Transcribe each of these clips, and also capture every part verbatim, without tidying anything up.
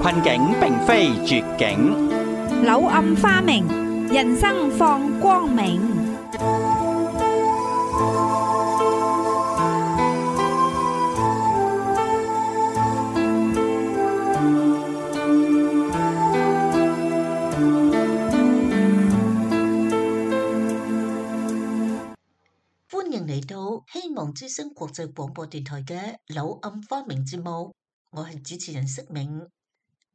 困境並非絕境，柳暗花明，人生放光明。歡迎嚟到希望之聲國際廣播電台嘅柳暗花明節目，我係主持人釋明。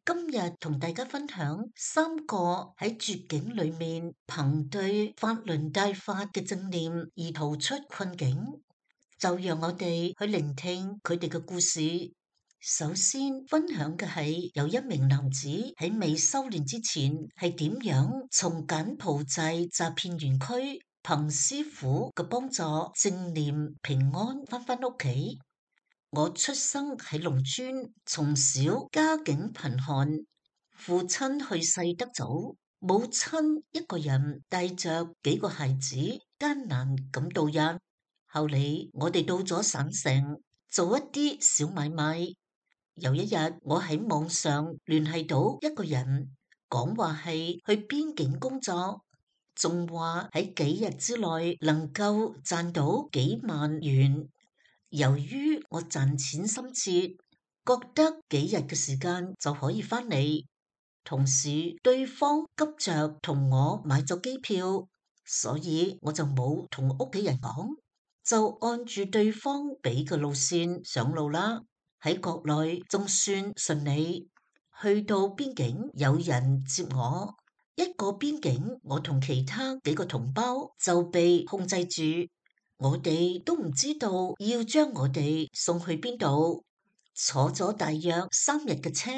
今日同大家分享三個喺絕境裏面憑對法輪大法嘅正念而逃出困境，就讓我哋去聆聽佢哋嘅故事。首先分享嘅係有一名男子喺未修煉之前係點樣從柬埔寨詐騙園區憑師傅嘅幫助正念平安翻返屋企。我出生喺農村，從小家境貧寒，父親去世得早，母親一個人帶着幾個孩子艱難咁度日。後嚟我哋到咗省城做一啲小買賣。有一日我喺網上聯繫到一個人，講話係去邊境工作，仲話喺幾日之內能夠賺到幾萬元。由於我賺錢心切，覺得幾日嘅時間就可以返嚟，同時對方急着同我買咗機票，所以我就冇同屋企人講，就按住對方俾嘅路線上路啦。喺國內仲算順利，去到邊境有人接我，一過邊境我同其他幾個同胞就被控制住。我哋都唔知道要將我哋送去邊度，坐咗大約三日嘅車，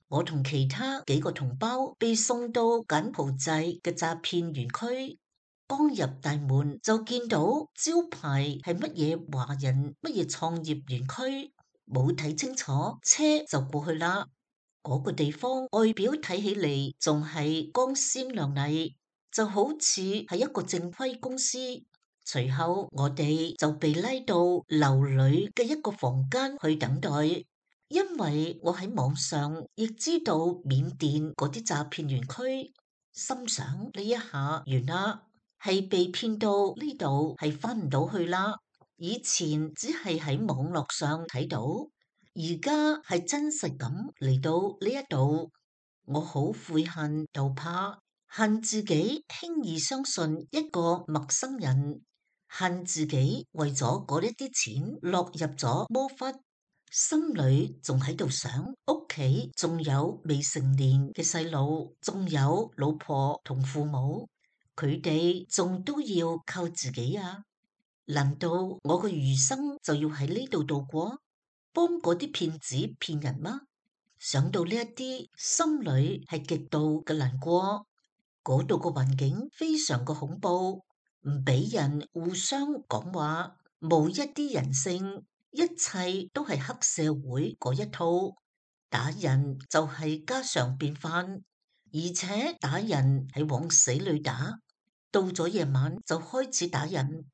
我同其他幾個同胞被送到柬埔寨嘅詐騙園區。剛入大門就見到招牌係乜嘢華人乜嘢創業園區，冇睇清楚，車就過去啦。嗰個地方外表睇起嚟仲係光鮮亮麗，就好似係一個正規公司。隨後我哋就被拉到樓裏嘅一個房間去等待，因為我喺網上亦知道緬甸嗰啲詐騙園區，心想呢一下完啦，係被騙到呢度係翻唔到去啦。以前只係喺網絡上睇到，而家係真實咁嚟到呢一度，我好悔恨又怕，恨自己輕易相信一個陌生人，恨自己為咗嗰一啲錢落入咗魔窟，心裏仲喺度想屋企仲有未成年嘅細路，仲有老婆同父母，佢哋仲都要靠自己啊！難道我個餘生就要喺呢度度過，幫嗰啲騙子騙人嗎？想到呢一啲，心裏係極度嘅難過。嗰度個環境非常嘅恐怖，唔俾人互相講話，冇一啲人性，一切都係黑社會嗰一套，打人就係家常便飯，而且打人係往死裏打，到咗夜晚就開始打人，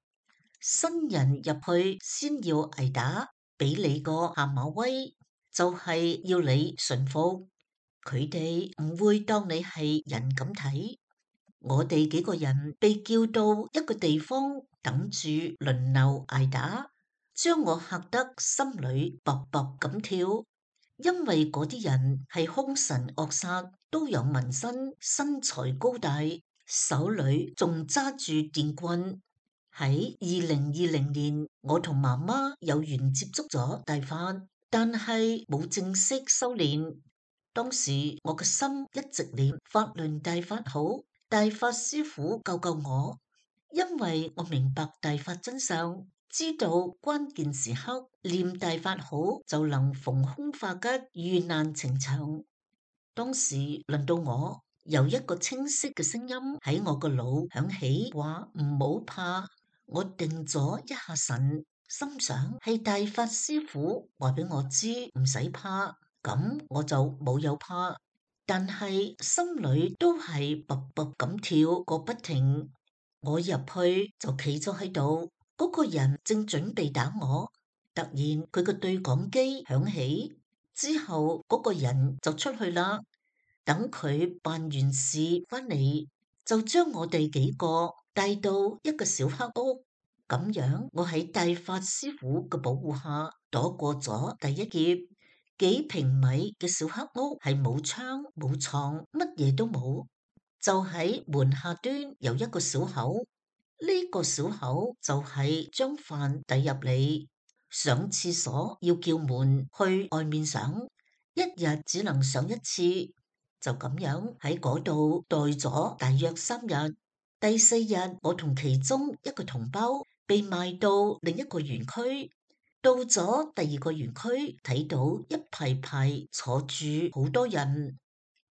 新人入去先要挨打，俾你個下馬威，就係要你順服，佢哋唔會當你係人咁睇。我哋幾個人被叫到一個地方等住輪流挨打，將我嚇得心裏卜卜咁跳，因為嗰啲人係兇神惡煞，都有紋身，身材高大，手裏仲揸住電棍。喺二零二零年，我同媽媽有緣接觸咗大法，但係冇正式修煉。當時我嘅心一直念法輪大法好，大法師傅救救我，因為我明白大法真相，知道關鍵時刻念大法好就能逢凶化吉，遇難呈祥。當時輪到我，有一個清晰嘅聲音喺我個腦響起，話唔好怕。我定咗一下神，心想係大法師傅話俾我知唔使怕，咁我就冇有怕。但係心裏都係卜卜咁跳個不停。我入去就企咗喺度，嗰個人正準備打我，突然佢個對講機響起，之後嗰個人就出去啦，等佢辦完事翻嚟，就將我哋幾個帶到一個小黑屋。咁樣我喺大法師傅嘅保護下躲過咗第一劫。幾平米嘅小黑屋係冇窗冇床，乜嘢都冇，就喺門下端有一個小口。呢個小口就係將飯遞入嚟，上廁所要叫門去外面上，一日只能上一次。就咁樣喺嗰度待咗大約三日。第四日，我同其中一個同胞被賣到另一個園區。到咗第二個園區，睇到一排排坐住好多人，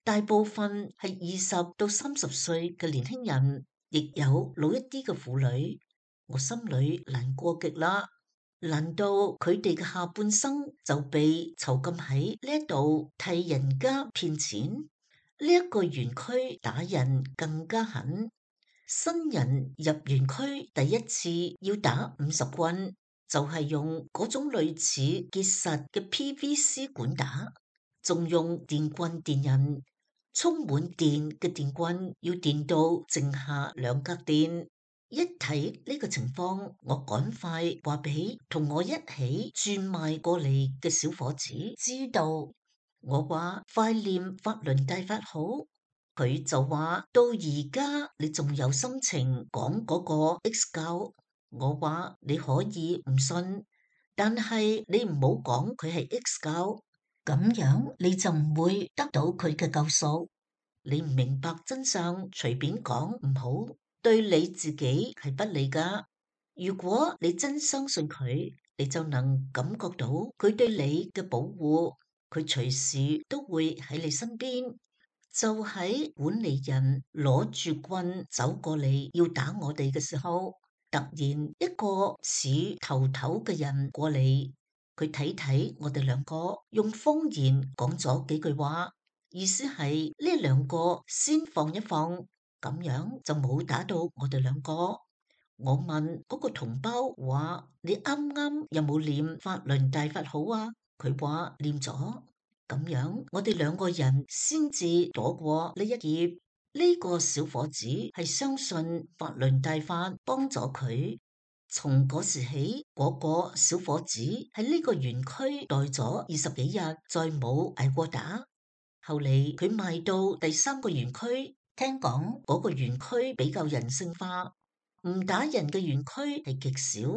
大部分係二十到三十歲嘅年輕人，亦有老一啲嘅婦女。我心裏難過極啦，難道佢哋嘅下半生就被囚禁喺呢一度替人家騙錢？呢一個園區打人更加狠，新人入園區第一次要打五十棍。就係用嗰種類似結實嘅 P V C 管打，仲用電棍電人，充滿電嘅電棍要電到剩下兩格電。一睇呢個情況，我趕快話俾同我一起轉賣過嚟嘅小伙子知道。我話快念法輪大法好，佢就話到而家你仲有心情講嗰個 X 教。我話你可以唔信，但係你唔好講佢係 X 教，咁樣你就唔會得到佢嘅救贖。你唔明白真相，隨便講唔好，對你自己係不利噶。如果你真相信佢，你就能感覺到佢對你嘅保護，佢隨時都會喺你身邊。就喺管理人攞住棍走過嚟要打我哋嘅時候，突然一個似頭頭嘅人過嚟，佢睇睇我哋兩個，用方言講咗幾句話，意思係呢兩個先放一放，咁樣就冇打到我哋兩個。我問嗰個同胞話：你啱啱有冇念法輪大法好啊？佢話念咗，咁樣我哋兩個人先至躲過呢一劫。呢個小伙子係相信法輪大法幫咗佢，從嗰時起，嗰、嗰個小伙子喺呢個園區待咗二十幾日，再冇挨過打。後嚟佢賣到第三個園區，聽講嗰個園區比較人性化，唔打人嘅園區係極少。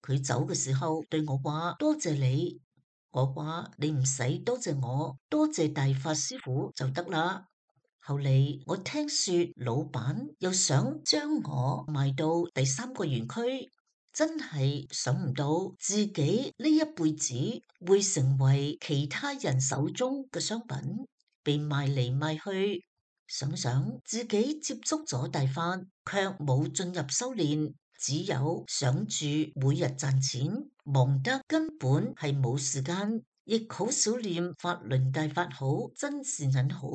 佢走嘅時候對我話：多謝你。我話你唔使多謝我，多謝大法師傅就得啦。後嚟我聽說老闆又想將我賣到第三個園區，真係想唔到自己呢一輩子會成為其他人手中嘅商品，被賣嚟賣去。想想自己接觸咗大法，卻冇進入修煉，只有想住每日賺錢，忙得根本係冇時間，亦好少念法輪大法好，真善人好。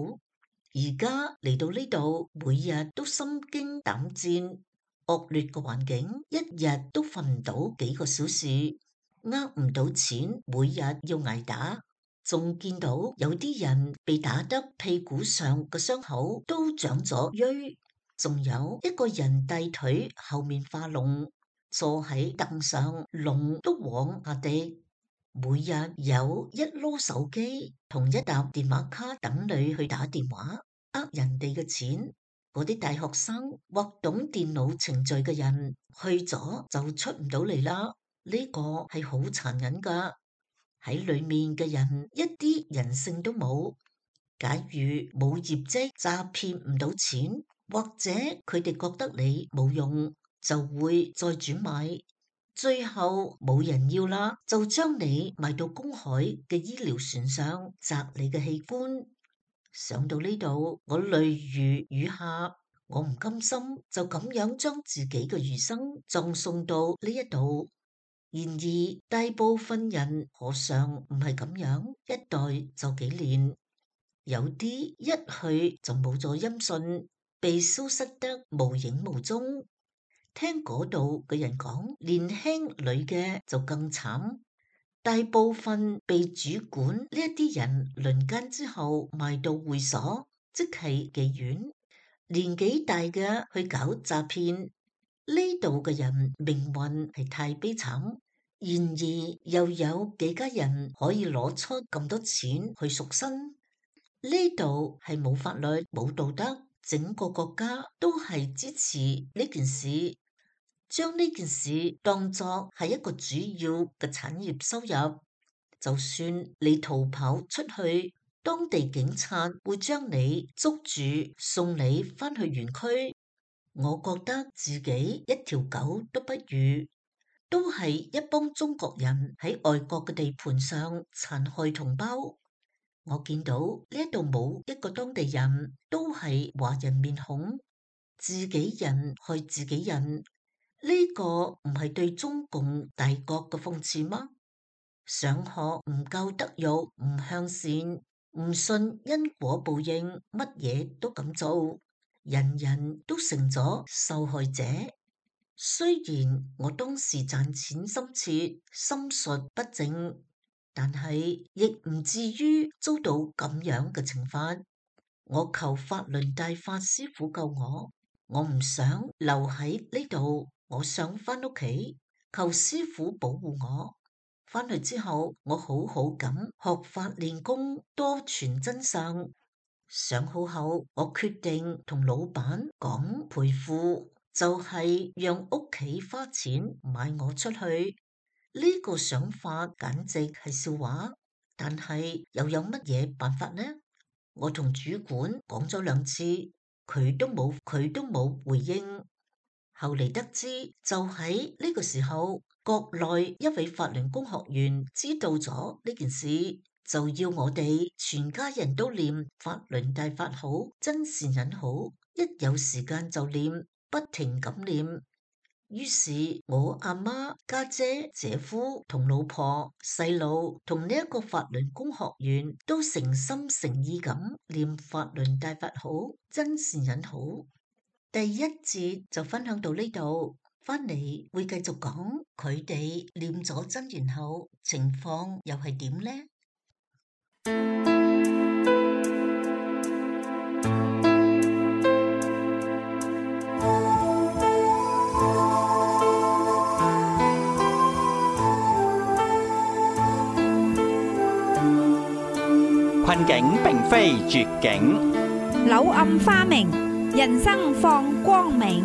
而家嚟到呢度，每日都心驚膽戰，惡劣嘅環境，一日都瞓唔到幾個小時，呃唔到錢，每日要挨打，仲見到有啲人被打得屁股上嘅傷口都長咗瘀，仲有一個人大腿後面化膿，坐喺凳上，膿都往下滴。每日有一籮手機同一沓電話卡等你去打電話，呃人哋嘅錢。嗰啲大學生或懂電腦程序嘅人去咗就出唔到嚟啦。呢個係好殘忍噶，喺裏面嘅人一啲人性都冇。假如冇業績，詐騙唔到錢，或者佢哋覺得你冇用，就會再轉賣。最後冇人要啦，就將你賣到公海嘅醫療船上，摘你嘅器官。想到呢度，我淚如雨下，我唔甘心就咁樣將自己嘅餘生葬送到呢一度。然而大部分人何嘗唔係咁樣，一代就幾年，有啲一去就冇咗音訊，被消失得無影無蹤。聽嗰度嘅人講，年輕女嘅就更慘，大部分被主管呢一啲人輪姦之後賣到會所，即係妓院。年紀大嘅去搞詐騙，呢度嘅人命運係太悲慘。然而又有幾家人可以攞出咁多錢去贖身？呢度係冇法律冇道德，整個國家都係支持呢件事，將呢件事當作係一個主要嘅產業收入。就算你逃跑出去，當地警察會將你捉住，送你返去園區。我覺得自己一條狗都不如，都係一幫中國人喺外國嘅地盤上殘害同胞。我見到呢度冇一個當地人，都係華人面孔，自己人害自己人，呢個唔係對中共大國嘅諷刺嗎？上學唔夠德育，唔向善，唔信因果報應，乜嘢都咁做，人人都成咗受害者。雖然我當時賺錢心切，心術不正，但係亦唔至於遭到咁樣嘅懲罰。我求法輪大法師傅救我，我唔想留喺呢度，我想返屋企，求師傅保護我。返去之後，我好好咁學法練功，多傳真相。上好後，我決定同老闆講賠付，就係讓屋企花錢買我出去。呢個想法簡直係笑話，但係又有乜嘢辦法呢？我同主管講咗兩次，佢都冇佢都冇回應。後嚟得知，就喺呢個時候，國內一位法輪功學員知道咗呢件事，就要我哋全家人都念法輪大法好，真善忍好，一有時間就念，不停咁念。於是我阿媽、家姐、姐夫同老婆、細路同呢一個法輪功學員都誠心誠意咁念法輪大法好，真善忍好。第一節就分享到呢度，翻嚟會繼續講佢哋念咗真言後情況又係點呢？困境並非絕境，柳暗花明，人生放光明。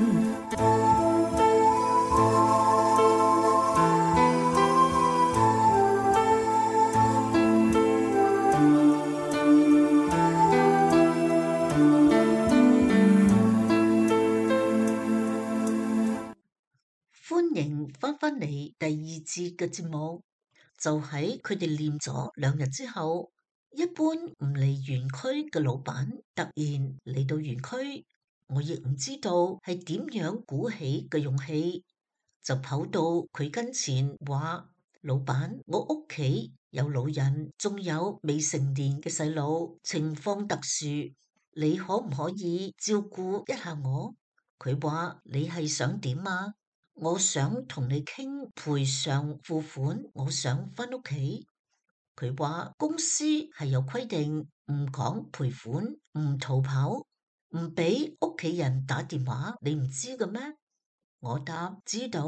歡迎翻返嚟第二節嘅節目，就喺佢哋念咗兩日之後，一般唔嚟園區嘅老闆突然嚟到園區，我亦唔知道係點樣鼓起嘅勇氣，就跑到佢跟前話：老闆，我屋企有老人，仲有未成年嘅細路，情況特殊，你可唔可以照顧一下我？佢話：你係想點啊？我想同你傾賠償付款，我想返屋企。佢話公司係有規定，唔講賠款，唔逃跑，唔俾屋企人打電話，你唔知嘅咩？我答知道，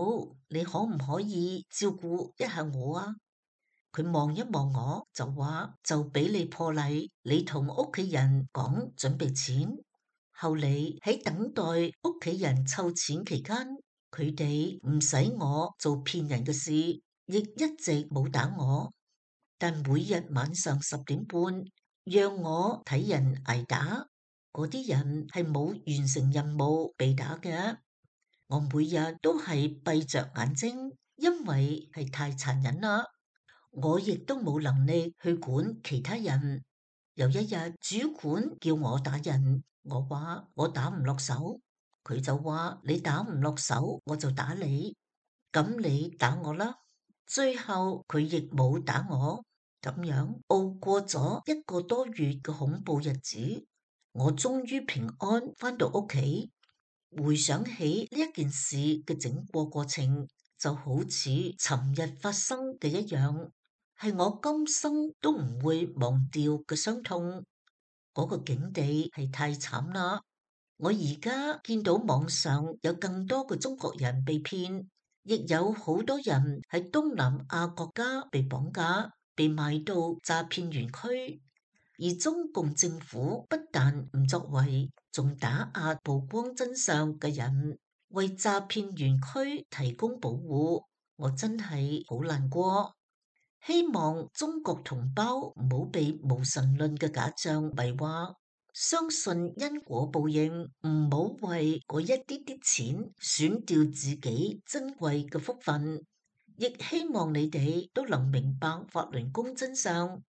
你可唔可以照顧一下我啊？佢望一望我，就話就俾你破例，你同屋企人講準備錢。後嚟喺等待屋企人湊錢期間，佢哋唔使我做騙人嘅事，亦一直冇打我。但每日晚上十點半，讓我睇人挨打，嗰啲人係冇完成任務被打嘅。我每日都係閉着眼睛，因為係太殘忍啦。我亦都冇能力去管其他人。有一日，主管叫我打人，我話我打唔落手，佢就話你打唔落手，我就打你，咁你打我啦。最後佢亦冇打我。咁樣熬過咗一個多月嘅恐怖日子，我終於平安返到屋企。回想起呢一件事嘅整個過程，就好似尋日發生嘅一樣。係我今生都唔會忘掉嘅傷痛。嗰個境地係太慘啦！我而家見到網上有更多嘅中國人被騙，亦有好多人喺東南亞國家被綁架，被賣到詐騙園區。而中共政府不但唔作為，仲打壓曝光真相嘅人，為詐騙園區提供保護。我真係好難過。希望中國同胞唔好被無神論嘅假象迷惑，相信因果報應，唔好為嗰一啲啲錢損掉自己珍貴嘅福分。亦希望你哋都能明白法輪功真相，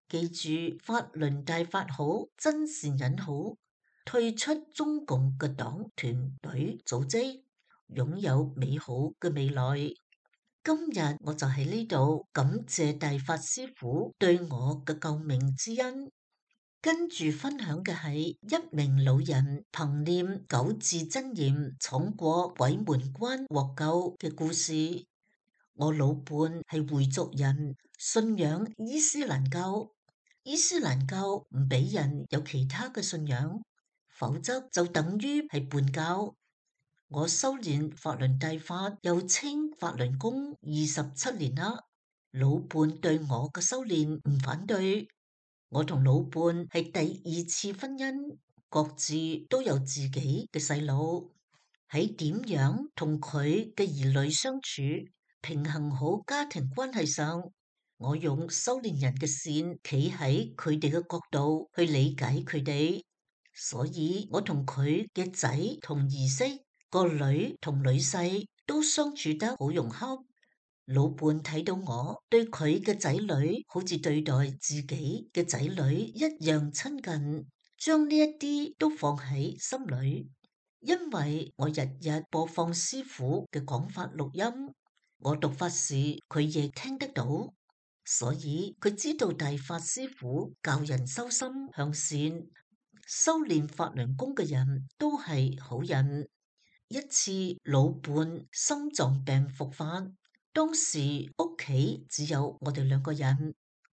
記住法輪大法好，真善忍好，退出中共嘅黨團隊組織，擁有美好嘅未來。今日我就喺呢度感謝大法師父對我嘅救命之恩。跟住分享嘅係一名老人憑念九字真言闖過鬼門關獲救嘅故事。我老伴係回族人，信仰伊斯蘭教。伊斯蘭教唔俾人有其他嘅信仰，否則就等於係叛教。我修煉法輪大法，又稱法輪功二十七年啦。老伴對我嘅修煉唔反對。我同老伴係第二次婚姻，各自都有自己嘅細路。喺點樣同佢嘅兒女相處，平衡好家庭關係上，我用修煉人嘅線，企喺佢哋嘅角度去理解佢哋。所以我同佢嘅仔同兒媳，個女同女婿都相處得好融洽。老伴睇到我對佢嘅仔女好似對待自己嘅仔女一樣親近，將呢一啲都放喺心裏。因為我日日播放師父嘅講法錄音，我讀法時佢亦聽得到，所以佢知道大法師父教人修心向善，修煉法輪功嘅人都係好人。一次老伴心臟病復發，當時屋企只有我哋兩個人，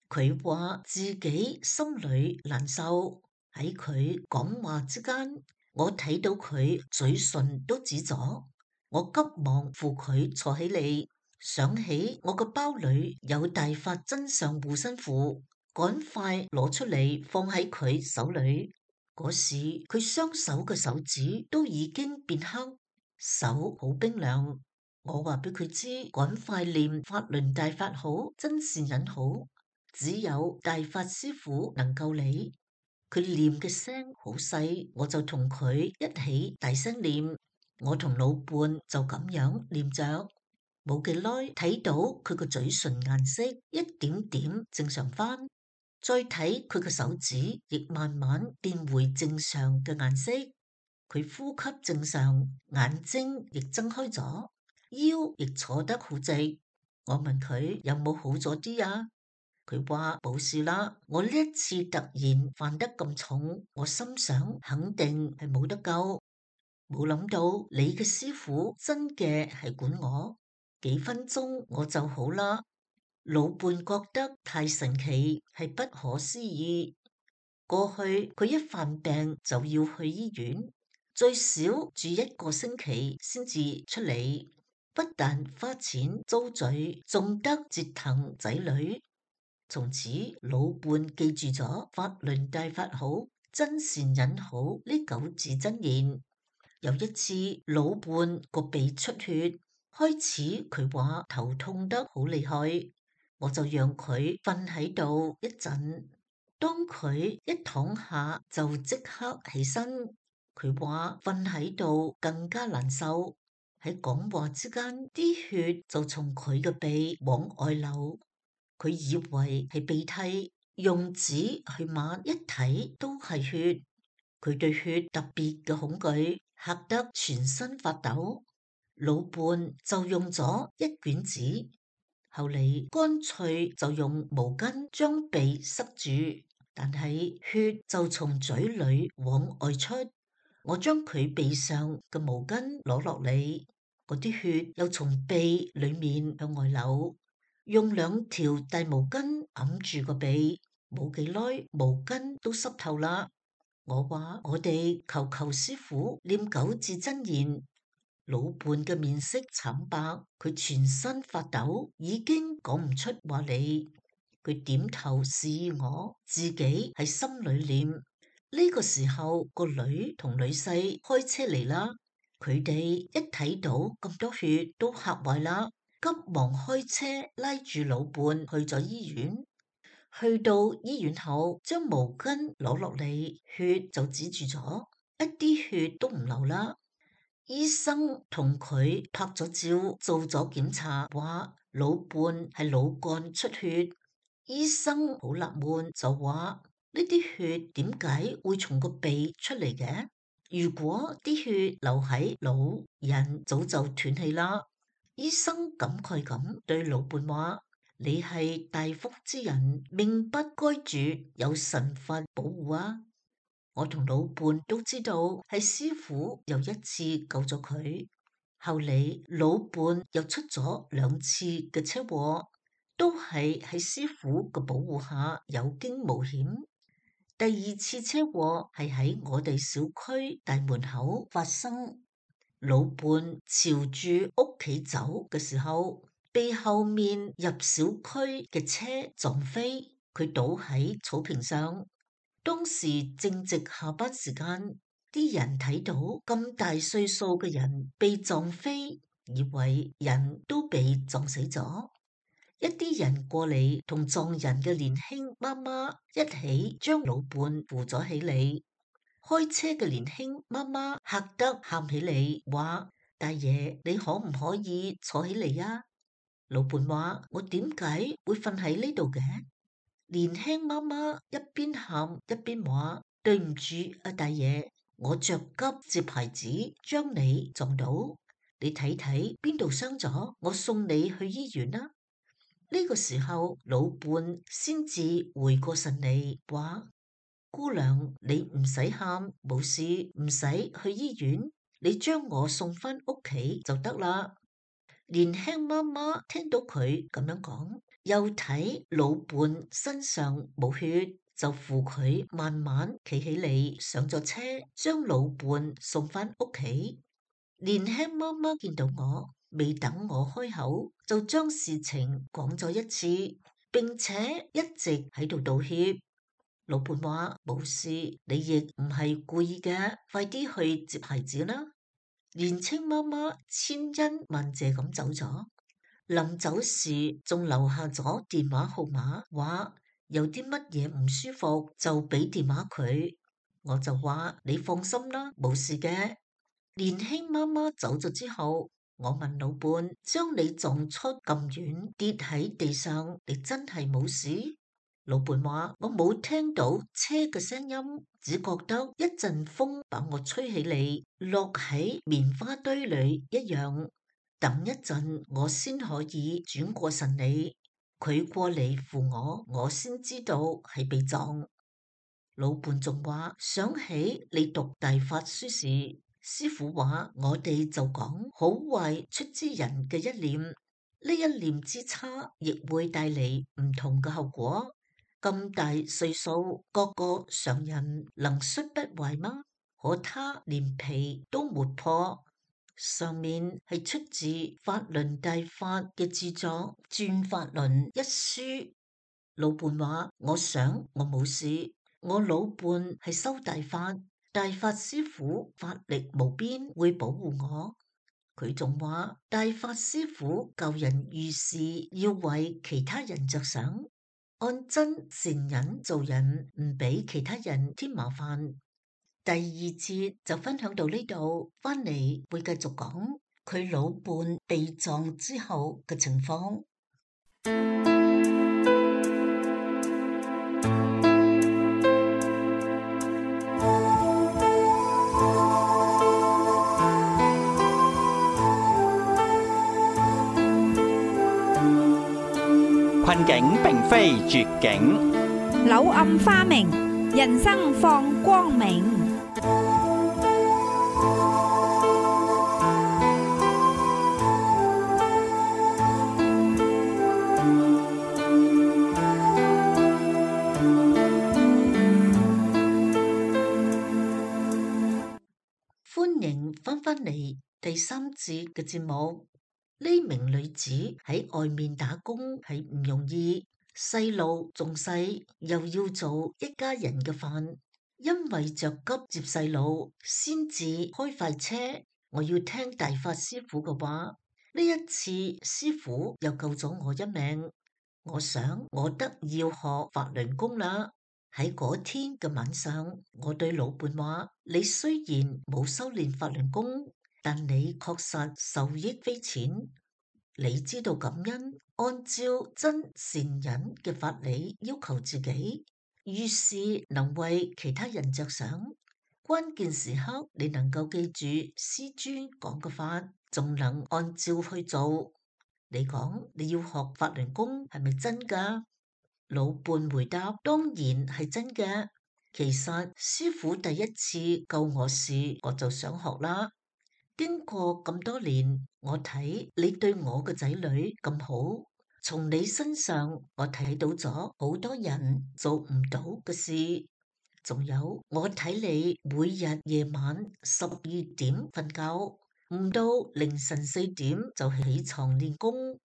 佢話自己心裏難受。喺佢講話之間，我睇到佢嘴唇都紫咗，我急忙扶佢坐起嚟，想起我個包裏有大法真相護身符，趕快攞出嚟放喺佢手裏。嗰時佢雙手嘅手指都已經變黑，手好冰涼。我話俾佢知，趕快念法輪大法好，真善忍好，只有大法師父能救你。佢念嘅聲好細，我就同佢一起大聲念。我同老伴就咁樣念着，冇幾耐睇到佢個嘴唇顏色一點點正常翻，再睇佢個手指亦慢慢變回正常嘅顏色。佢呼吸正常，眼睛亦睜開咗，腰亦坐得好直。我問佢有冇好咗啲啊？佢話冇事啦。我呢一次突然犯得咁重，我心想肯定係冇得救。冇諗到你嘅師父真嘅係管我，幾分鐘我就好啦。老伴覺得太神奇，係不可思議。過去佢一犯病就要去醫院，最少住一個星期先至出嚟，不但花錢遭罪，仲得折騰仔女。從此老伴記住咗法輪大法好，真善忍好呢九字真言。有一次老伴個鼻出血，開始佢話頭痛得好厲害，我就讓佢瞓喺度一陣。當佢一躺下就即刻起身，佢話瞓喺度更加難受。喺講話之間，啲血就從佢嘅鼻往外流。佢以為係鼻涕，用紙去抹，一睇都係血。佢對血特別嘅恐懼，嚇得全身發抖。老伴就用咗一卷紙，後嚟乾脆就用毛巾將鼻塞住，但係血就從嘴裏往外出。我將佢鼻上嘅毛巾攞落嚟，嗰啲血又從鼻裏面向外流。用兩條大毛巾揞住個鼻，冇幾耐毛巾都濕透啦。我話我哋求求師傅念九字真言。老伴嘅面色慘白，佢全身發抖，已經講唔出話嚟。佢點頭示意我，自己喺心裏念。呢個時候，個女同女婿開車嚟啦。佢哋一睇到咁多血，都嚇壞啦，急忙開車拉住老伴去咗醫院。去到醫院後，將毛巾攞落嚟，血就止住咗，一啲血都唔流啦。醫生同佢拍咗照，做咗檢查，話老伴係腦幹出血。醫生好納悶，就話呢啲血點解會從個鼻出嚟嘅？如果啲血流喺腦，人早就斷氣啦。醫生感慨咁對老伴話：你係大福之人，命不該絕，有神佛保護啊！我同老伴都知道係師傅又一次救咗佢。後嚟老伴又出咗兩次嘅車禍，都係喺師傅嘅保護下有驚無險。第二次車禍係喺我哋小區大門口發生，老伴朝住屋企走嘅時候，被後面入小區嘅車撞飛，佢倒喺草坪上。當時正值下班時間，啲人睇到咁大歲數嘅人被撞飛，以為人都被撞死咗。一啲人過嚟同撞人嘅年輕媽媽一起將老伴扶咗起嚟。開車嘅年輕媽媽嚇得喊起嚟，話：大爺，你可唔可以坐起嚟啊？老伴話：我點解會瞓喺呢度嘅？年輕媽媽一邊喊一邊話：對唔住啊，大爺，我着急接孩子，將你撞到，你睇睇邊度傷咗，我送你去醫院啦。呢個時候，老伴先至回過神嚟，話：姑娘，你唔使喊，冇事，唔使去醫院，你將我送返屋企就得啦。年輕媽媽聽到佢咁樣講，又睇老伴身上冇血，就扶佢慢慢企起嚟，上咗車，將老伴送返屋企。年輕媽媽見到我，未等我開口，就將事情講咗一次，並且一直喺度道歉。老伴話：冇事，你亦唔係故意嘅，快啲去接孩子啦。年輕媽媽千恩萬謝咁走咗，臨走時仲留下咗電話號碼，話有啲乜嘢唔舒服就俾電話佢。我就話：你放心啦，冇事嘅。年輕媽媽走咗之後，我問老伴：將你撞出咁遠，跌喺地上，你真係冇事？老伴話：我冇聽到車嘅聲音，只覺得一陣風把我吹起嚟，落喺棉花堆裏一樣。等一陣我先可以轉過神嚟，佢過嚟扶我，我先知道係被撞。老伴仲話：想起你讀大法書時，師傅話我哋就講好壞出之人嘅一念，呢一念之差亦會帶嚟唔同嘅後果。咁大歲數，個個常人能摔不壞嗎？可他連皮都沒破。上面係出自法輪大法嘅著作《轉法輪》一書。老伴話：我想我冇事，我老伴係修大法，大法師父法力無邊，會保護我。佢仲話：大法師父救人遇事，要為其他人着想。按真善忍做人，唔俾其他人添麻煩。第二節就分享到呢度，翻嚟會繼續講佢老伴被撞之後嘅情況。困境並非絕境，柳暗花明，人生放光明。歡迎翻返嚟第三節嘅節目。呢名女子喺外面打工係唔容易，細路仲細，又要做一家人嘅飯，因為着急接細路，先至開快車。我要聽大法師傅嘅話，呢一次師傅又救咗我一命。我想我得要學法輪功啦。喺嗰天嘅晚上，我對老伴話：你雖然冇修煉法輪功，但你確實受益匪淺。你知道感恩，按照真善忍嘅法理要求自己，遇事能為其他人着想。關鍵時刻你能夠記住師尊講嘅法，仲能按照去做。你講你要學法輪功係咪真㗎？老伴回答：當然係真嘅。其實師父第一次救我時，我就想學啦。經過咁多年，我睇你對我嘅仔女咁好，從你身上我睇到咗好多人做唔到嘅事。仲有我睇你每日夜晚十二點瞓覺，唔到凌晨四點就起床練功，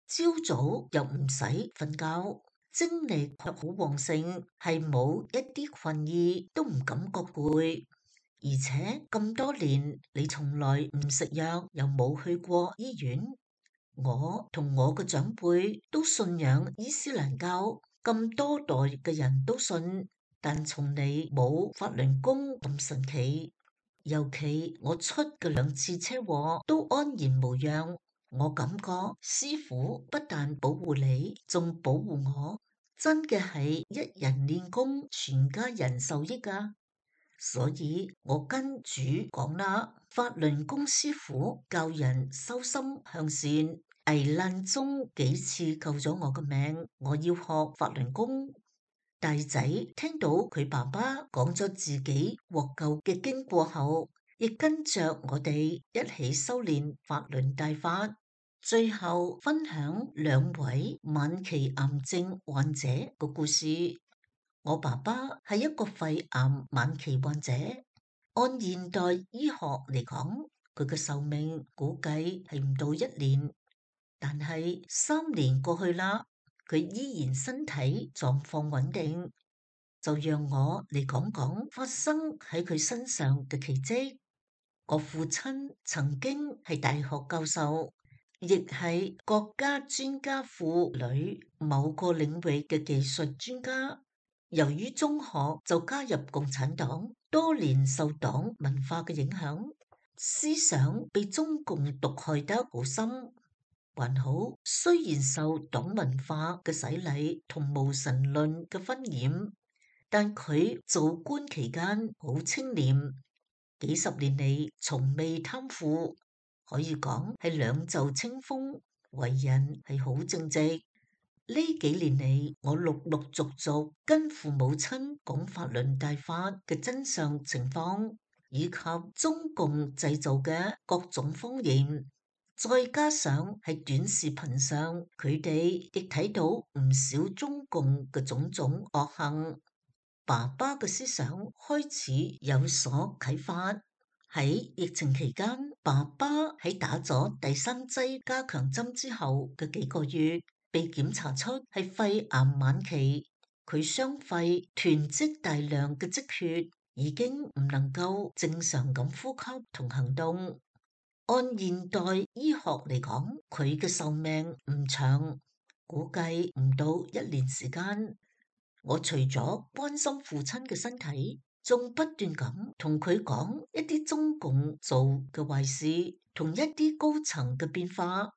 朝早又唔使瞓覺。精力卻好旺盛，係冇一啲困意，都唔感覺攰。而且咁多年你從來唔食藥，又冇去過醫院。我同我嘅長輩都信仰伊斯蘭教，咁多代嘅人都信，但從嚟冇法輪功咁神奇。尤其我出嘅兩次車禍都安然無恙。我感覺師父不但保護你，仲保護我，真嘅係一人練功，全家人受益啊！所以我跟主講啦，法輪功師父教人修心向善，危難中幾次救咗我嘅命，我要學法輪功。大仔聽到佢爸爸講咗自己獲救嘅經過後，亦跟着我哋一起修煉法輪大法。最後分享兩位晚期癌症患者嘅故事。我爸爸係一個肺癌晚期患者，按現代醫學嚟講，佢嘅壽命估計係唔到一年。但係三年過去啦，佢依然身體狀況穩定。就讓我嚟講講發生喺佢身上嘅奇蹟。我父親曾經係大學教授，亦係國家專家庫裏某個領域嘅技術專家。由於中學就加入共產黨，多年受黨文化嘅影響，思想被中共毒害得好深。還好，雖然受黨文化嘅洗禮同無神論嘅熏染，但佢做官期間好清廉，幾十年嚟從未貪腐。可以講係兩袖清風，為人係好正直。呢幾年嚟，我陸陸續續跟父母親講法輪大法嘅真相情況，以及中共製造嘅各種謊言，再加上喺短視頻上，佢哋亦睇到唔少中共嘅種種惡行。爸爸嘅思想開始有所啟發。喺疫情期間，爸爸喺打咗第三劑加強針之後嘅幾個月，被檢查出係肺癌晚期。佢雙肺囤積大量嘅積血，已經唔能夠正常咁呼吸同行動。按現代醫學嚟講，佢嘅壽命唔長，估計唔到一年時間。我除咗關心父親嘅身體，仲不斷咁同佢講一啲中共做嘅壞事，同一啲高層嘅變化，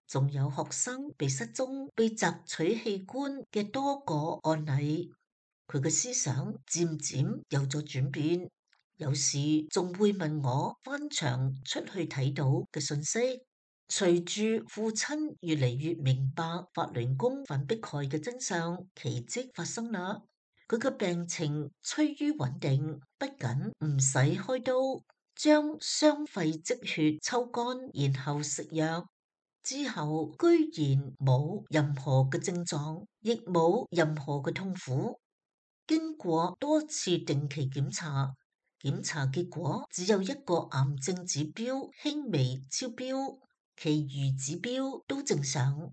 仲有學生被失蹤、被摘取器官嘅多個案例。佢嘅思想漸漸有咗轉變，有時仲會問我翻牆出去睇到嘅信息。隨住父親越嚟越明白法輪功反迫害嘅真相，奇蹟發生啦！佢嘅病情趨於穩定，不僅唔使開刀，將雙肺積血抽乾，然後食藥之後，居然冇任何嘅症狀，亦冇任何嘅痛苦。經過多次定期檢查，檢查結果只有一個癌症指標輕微超標，其餘指標都正常。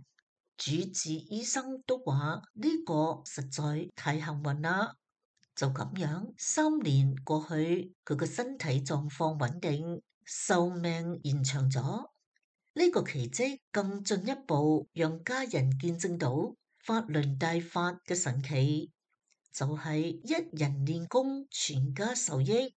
主治醫生都話呢個實在太幸運啦。就咁樣，三年過去，佢個身體狀況穩定，壽命延長咗。呢個奇蹟更進一步讓家人見證到法輪大法嘅神奇，就係一人練功，全家受益。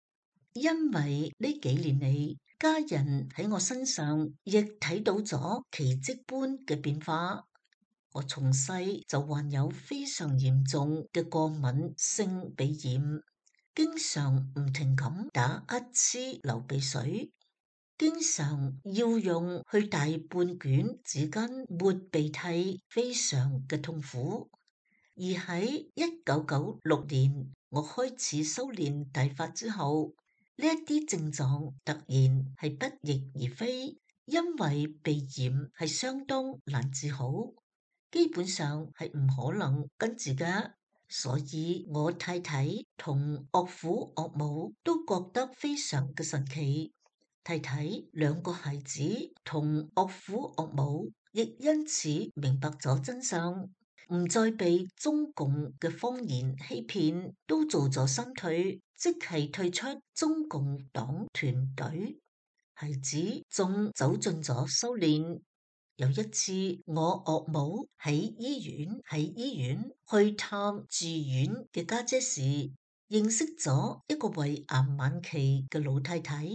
因為呢幾年嚟，家人喺我身上亦睇到咗奇蹟般嘅變化。我從細就患有非常嚴重嘅過敏性鼻炎，經常唔停咁打乞嗤、流鼻水，經常要用去大半卷紙巾抹鼻涕，非常嘅痛苦。而喺一九九六年，我開始修煉大法之後，呢一啲症狀突然係不翼而飛，因為鼻炎係相當難治好。基本上係唔可能根治㗎，所以我太太同岳父岳母都覺得非常嘅神奇。太太兩個孩子同岳父岳母亦因此明白咗真相，唔再被中共嘅謊言欺騙，都做咗三退，即係退出中共黨團隊。孩子仲走進咗修煉。有一次，我岳母喺醫院喺醫院去探住院嘅家姐時，認識咗一個胃癌晚期嘅老太太。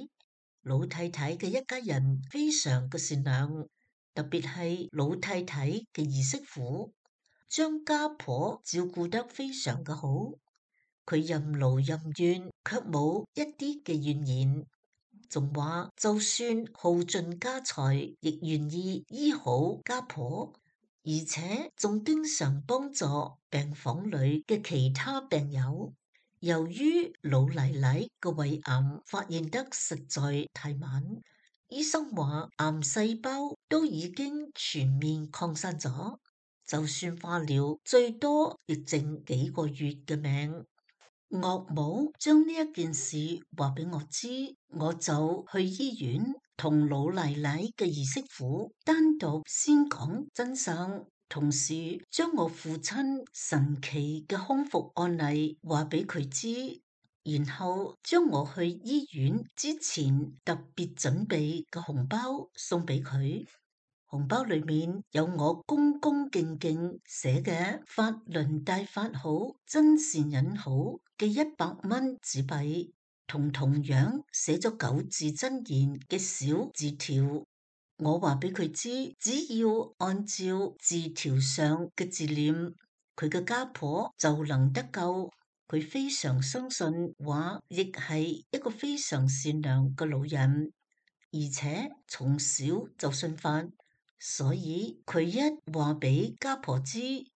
老太太嘅一家人非常嘅善良，特別係老太太嘅兒媳婦，將家婆照顧得非常嘅好。佢任勞任怨，卻冇一啲嘅怨言。仲話就算耗盡家財，亦願意醫好家婆，而且仲經常幫助病房裏嘅其他病友。由於老奶奶嘅胃癌發現得實在太晚，醫生話癌細胞都已經全面擴散咗，就算化療，最多亦剩幾個月嘅命。岳母將呢一件事話俾我知，我就去醫院同老奶奶嘅兒媳婦單獨先講真相，同時將我父親神奇嘅康復案例話俾佢知，然後將我去醫院之前特別準備嘅紅包送俾佢。紅包裏面有我恭恭敬敬寫嘅法輪大法好，真善忍好嘅一百蚊紙幣，同同樣寫咗九字真言嘅小字條。我話俾佢知，只要按照字條上嘅字念，佢嘅家婆就能得救。佢非常相信，話亦係一個非常善良嘅老人，而且從小就信法。所以佢一話俾家婆知，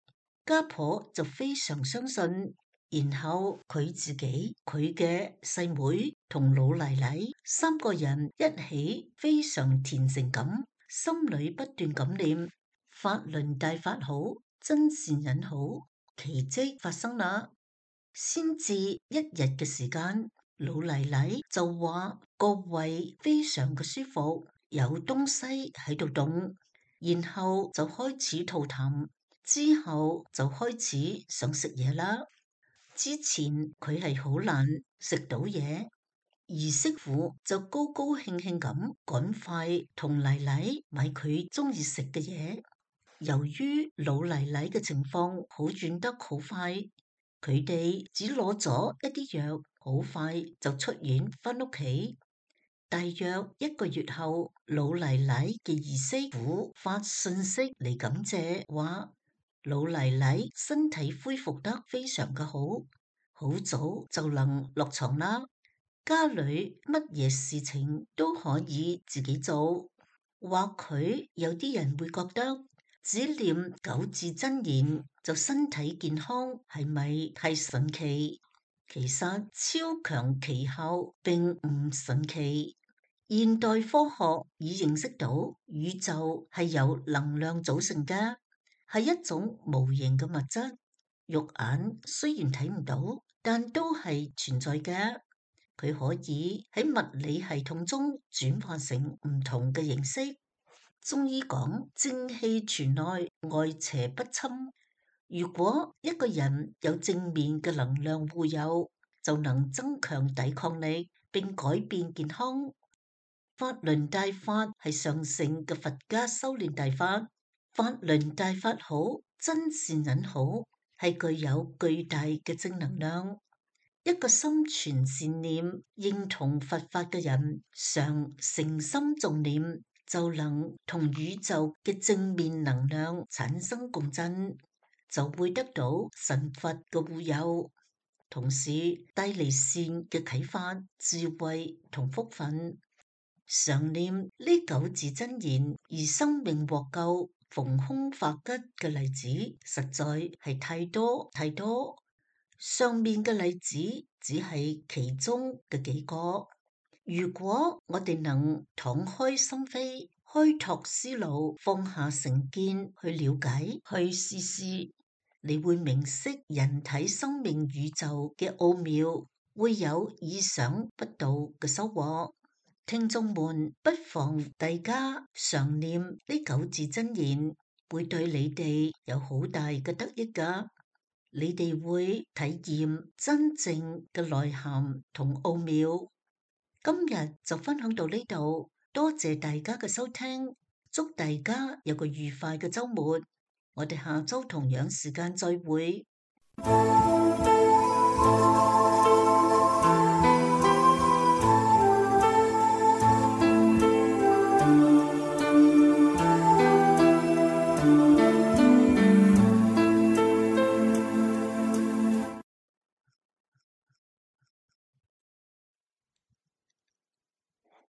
家婆就非常相信，然後佢自己、佢嘅細妹同老奶奶三個人一起非常虔誠咁，心裏不斷咁念法輪大法好，真善忍好，奇蹟發生啦。先至一日嘅時間，老奶奶就話個胃非常嘅舒服，有東西喺度動。然後就開始吐痰，之後就開始想食嘢啦。之前佢係好難食到嘢，兒媳婦就高高興興咁趕快同奶奶買佢中意食嘅嘢。由於老奶奶嘅情況好轉得好快，佢哋只攞咗一啲藥，好快就出院返屋企。大約一個月後，老奶奶嘅兒媳婦發信息嚟感謝，話老奶奶身體恢復得非常嘅好，好早就能落床啦。家裏乜嘢事情都可以自己做。或許有啲人會覺得只念九字真言就身體健康，係咪太神奇？其實超強奇效並唔神奇。現代科學已認識到宇宙係由能量組成嘅，係一種無形嘅物質，肉眼雖然睇唔到，但都係存在嘅。佢可以喺物理系統中轉化成唔同嘅形式。中醫講正氣存內，外邪不侵。如果一個人有正面嘅能量護佑，就能增強抵抗力並改變健康。法輪大法係上乘嘅佛家修煉大法，法輪大法好，真善忍好，係具有巨大嘅正能量。一個心存善念、認同佛法嘅人，常誠心重念，就能同宇宙嘅正面能量產生共振，就會得到神佛嘅護佑，同時帶嚟善嘅啟發、智慧同福分。常念呢九字真言而生命獲救、逢凶化吉嘅例子，實在係太多太多。上面嘅例子只係其中嘅幾個。如果我哋能敞開心扉、開拓思路、放下成見去了解、去試試，你會明晰人體生命宇宙嘅奧妙，會有意想不到嘅收穫。聽眾們不妨大家常念呢九字真言，會對你哋有好大嘅得益㗎。你哋會體驗真正嘅內涵同奧妙。今日就分享到呢度，多謝大家嘅收聽，祝大家有個愉快嘅週末。我哋下週同樣時間再會。